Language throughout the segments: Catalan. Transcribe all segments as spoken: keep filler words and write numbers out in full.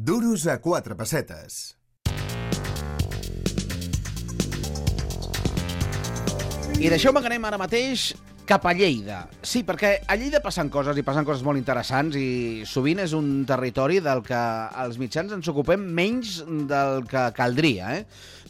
Duros a quatre pessetes. I deixeu-me que anem ara mateix cap a Lleida. Sí, perquè a Lleida passen coses i passen coses molt interessants i sovint és un territori del que els mitjans ens ocupem menys del que caldria, eh?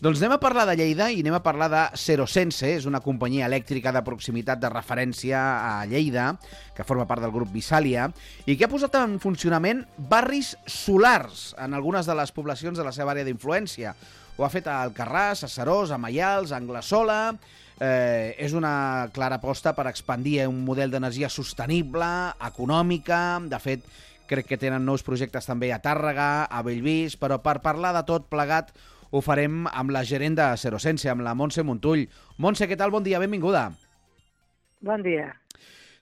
Doncs anem a parlar de Lleida i anem a parlar de Serosense, és una companyia elèctrica de proximitat de referència a Lleida, que forma part del grup Visàlia, i que ha posat en funcionament barris solars en algunes de les poblacions de la seva àrea d'influència. Ho ha fet a Alcarràs, a Seròs, a Maials, a Anglesola. Eh, és una clara aposta per expandir un model d'energia sostenible, econòmica. De fet, crec que tenen nous projectes també a Tàrrega, a Bellvís, però per parlar de tot plegat ho farem amb la gerent de Serosense, amb la Montse Montull. Montse, què tal? Bon dia, benvinguda. Bon dia.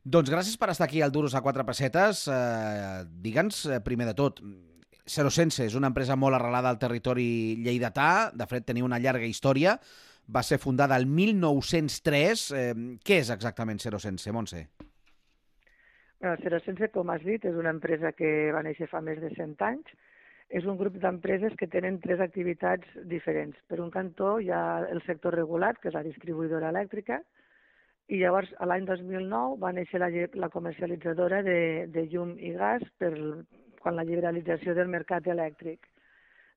Doncs gràcies per estar aquí al Duros a quatre pessetes. Eh, Digue'ns, primer de tot, Serosense és una empresa molt arrelada al territori lleidatà. De fet, tenia una llarga història. Va ser fundada el mil nou-cents tres. Eh, què és exactament Serosense, Montse? Bueno, Serosense, com has dit, és una empresa que va néixer fa més de cent anys. És un grup d'empreses que tenen tres activitats diferents. Per un cantó hi ha el sector regulat, que és la distribuïdora elèctrica, i llavors l'any dos mil nou va néixer la, la comercialitzadora de, de llum i gas per, quan la liberalització del mercat elèctric.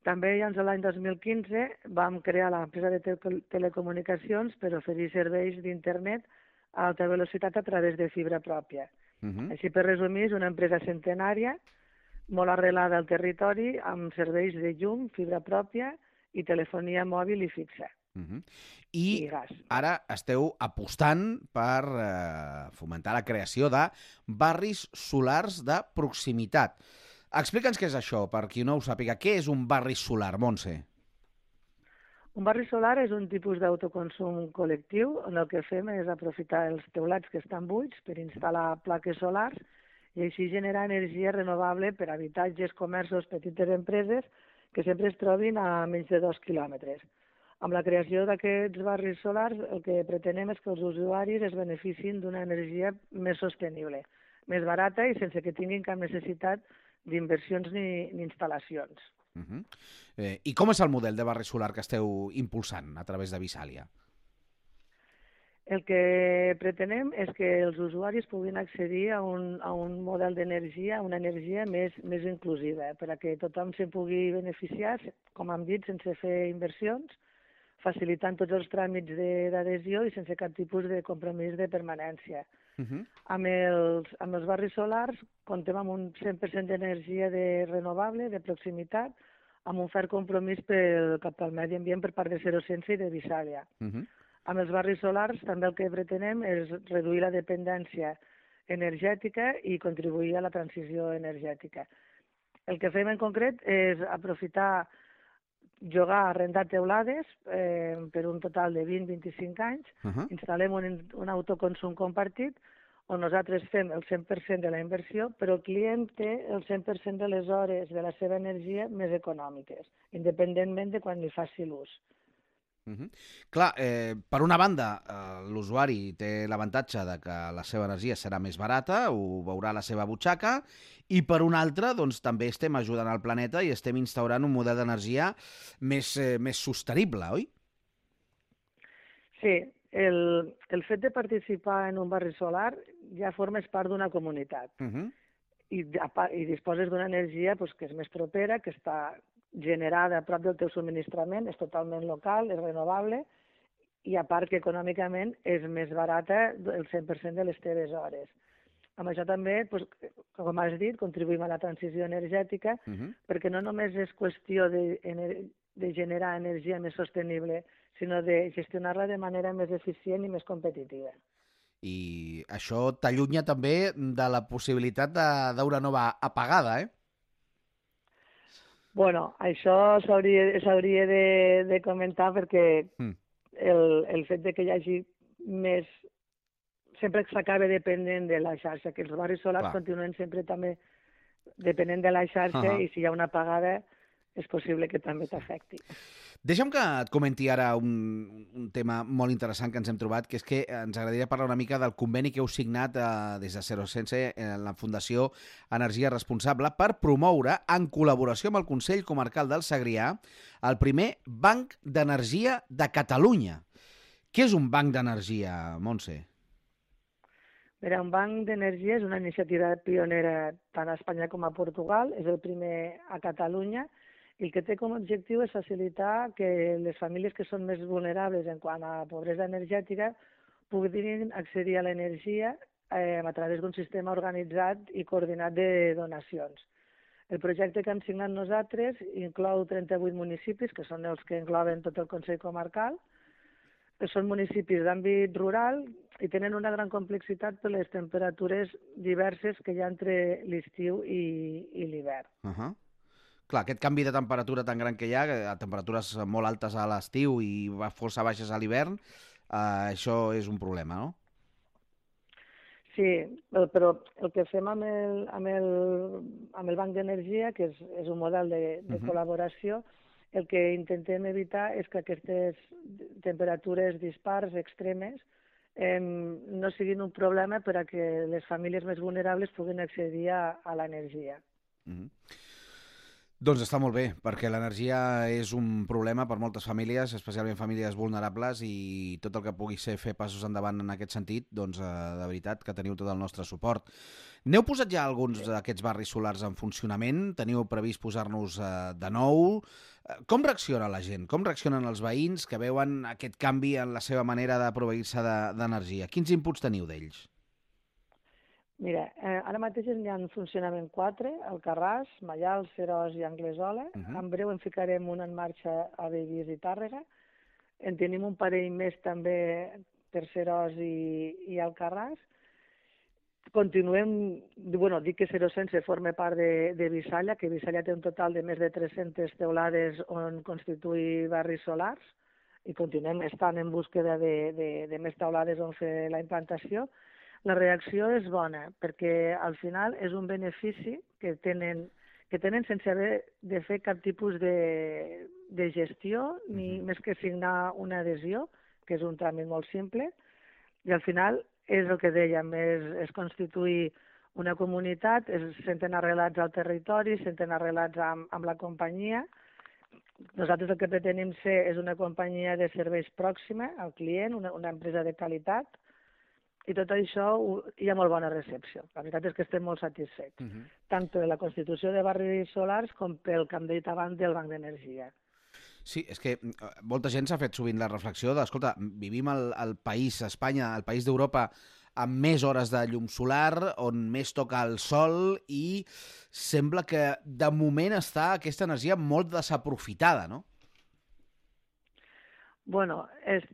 També llavors l'any dos mil quinze vam crear l'empresa de te telecomunicacions per oferir serveis d'internet a alta velocitat a través de fibra pròpia. Uh -huh. Així, per resumir, és una empresa centenària, molt arrelada al territori, amb serveis de llum, fibra pròpia i telefonia mòbil i fixa. Uh -huh. I, I gas. Ara esteu apostant per eh, fomentar la creació de barris solars de proximitat. Explica'ns què és això, per qui no ho sàpiga. Què és un barri solar, Montse? Un barri solar és un tipus d'autoconsum col·lectiu on el que fem és aprofitar els teulats que estan buits per instal·lar plaques solars i així generar energia renovable per a habitatges, comerços, petites empreses que sempre es trobin a menys de dos quilòmetres. Amb la creació d'aquests barris solars el que pretenem és que els usuaris es beneficin d'una energia més sostenible, més barata i sense que tinguin cap necessitat d'inversions ni, ni instal·lacions. Uh -huh. eh, I com és el model de barri solar que esteu impulsant a través de Visàlia? El que pretenem és que els usuaris puguin accedir a un, a un model d'energia, una energia més, més inclusiva, eh, per a que tothom se'n pugui beneficiar, com hem dit, sense fer inversions, facilitant tots els tràmits d'adhesió i sense cap tipus de compromís de permanència. Uh -huh. amb, els, amb els barris solars comptem amb un cent per cent d'energia de renovable, de proximitat, amb un fert compromís pel, cap al medi ambient per part de Serosense i de Visàlia. Uh -huh. Amb els barris solars també el que pretenem és reduir la dependència energètica i contribuir a la transició energètica. El que fem en concret és aprofitar llogar, arrendar teulades eh, per un total de vint a vint-i-cinc anys, uh -huh. instal·lem un, un autoconsum compartit on nosaltres fem el cent per cent de la inversió, però el client té el cent per cent de les hores de la seva energia més econòmiques, independentment de quan li faci l'ús. Uh -huh. Clar, eh, per una banda, eh, l'usuari té l'avantatge de que la seva energia serà més barata, ho veurà a la seva butxaca, i per una altra, doncs, també estem ajudant al planeta i estem instaurant un model d'energia més, eh, més sostenible, oi? Sí, el, el fet de participar en un barri solar ja formes part d'una comunitat. Uh -huh. I, i disposes d'una energia doncs, que és més propera, que està generada a prop del teu subministrament, és totalment local, és renovable, i a part que econòmicament és més barata el cent per cent de les teves hores. Amb això també, doncs, com has dit, contribuïm a la transició energètica, uh -huh. perquè no només és qüestió de, de generar energia més sostenible, sinó de gestionar-la de manera més eficient i més competitiva. I això t'allunya també de la possibilitat d'una nova apagada, eh? Bueno, això s'hauria de, de comentar perquè mm. el, el fet de que hi hagi més... sempre s'acaba depenent de la xarxa, que els barris solars Clar. continuen sempre també depenent de la xarxa uh -huh. i si hi ha una apagada és possible que també t'afecti. Deixa'm que et comenti ara un, un tema molt interessant que ens hem trobat, que és que ens agradaria parlar una mica del conveni que heu signat eh, des de Zero Sense en la Fundació Energia Responsable per promoure, en col·laboració amb el Consell Comarcal del Segrià, el primer Banc d'Energia de Catalunya. Què és un banc d'energia, Montse? Mira, un banc d'energia és una iniciativa pionera tant a Espanya com a Portugal, és el primer a Catalunya, i el que té com a objectiu és facilitar que les famílies que són més vulnerables en quant a pobresa energètica puguin accedir a l'energia eh, a través d'un sistema organitzat i coordinat de donacions. El projecte que hem signat nosaltres inclou trenta-vuit municipis, que són els que engloben tot el Consell Comarcal, que són municipis d'àmbit rural i tenen una gran complexitat per les temperatures diverses que hi ha entre l'estiu i, i l'hivern. Uh -huh. Clar, aquest canvi de temperatura tan gran que hi ha, a temperatures molt altes a l'estiu i força baixes a l'hivern, eh, això és un problema, no? Sí, però el que fem amb el, amb el, amb el Banc d'Energia, que és, és un model de, de uh-huh. col·laboració, el que intentem evitar és que aquestes temperatures dispars, extremes, eh, no siguin un problema per a que les famílies més vulnerables puguin accedir a, a l'energia. Uh-huh. Doncs està molt bé, perquè l'energia és un problema per moltes famílies, especialment famílies vulnerables, i tot el que pugui ser fer passos endavant en aquest sentit, doncs de veritat que teniu tot el nostre suport. N'heu posat ja alguns d'aquests barris solars en funcionament? Teniu previst posar-nos de nou? Com reacciona la gent? Com reaccionen els veïns que veuen aquest canvi en la seva manera de proveir-se d'energia? Quins inputs teniu d'ells? Mira, eh, ara mateix n'hi ha en funcionament quatre, Alcarràs, Maials, Seròs i Anglesola. Uh-huh. En breu en ficarem un en marxa a Bellvís i Tàrrega. En tenim un parell més també per Seròs i, i Alcarràs. Continuem, bueno, dic que Zero Sense forma part de, de Bisalla, que Bisalla té un total de més de tres-centes teulades on constituir barris solars, i continuem estant en búsqueda de, de, de més teulades on fer la implantació. La reacció és bona, perquè al final és un benefici que tenen, que tenen sense haver de fer cap tipus de, de gestió, ni més que signar una adhesió, que és un tràmit molt simple, i al final és el que dèiem, és, és constituir una comunitat, es senten arrelats al territori, es senten arrelats amb, amb la companyia. Nosaltres el que pretenem ser és una companyia de serveis pròxima al client, una, una empresa de qualitat, i tot això hi ha molt bona recepció. La veritat és que estem molt satisfets, uh-huh. tant per la constitució de barris solars com pel que hem dit abans del Banc d'Energia. Sí, és que molta gent s'ha fet sovint la reflexió de, escolta, vivim al, al país, a Espanya, al país d'Europa, amb més hores de llum solar, on més toca el sol, i sembla que de moment està aquesta energia molt desaprofitada, no? Bueno, és...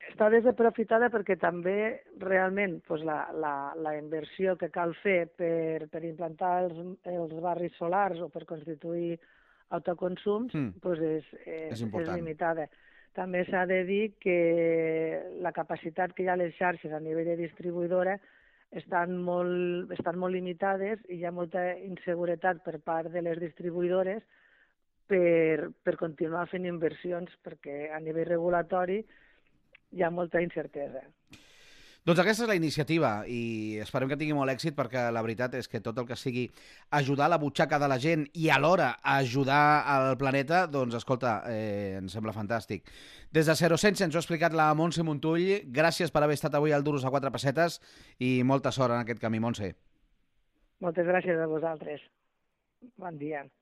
està desaprofitada perquè també realment doncs, la, la, la inversió que cal fer per, per implantar els, els barris solars o per constituir autoconsums mm. doncs és, és, és, és limitada. També s'ha de dir que la capacitat que hi ha a les xarxes a nivell de distribuïdora estan molt, estan molt limitades i hi ha molta inseguretat per part de les distribuïdores per, per continuar fent inversions, perquè a nivell regulatori hi ha molta incertesa. Doncs aquesta és la iniciativa i esperem que tingui molt èxit, perquè la veritat és que tot el que sigui ajudar la butxaca de la gent i alhora ajudar al planeta, doncs escolta, eh, em sembla fantàstic. Des de Zero Sense ens ho ha explicat la Montse Montull. Gràcies per haver estat avui al Duros a quatre pessetes i molta sort en aquest camí, Montse. Moltes gràcies a vosaltres. Bon dia.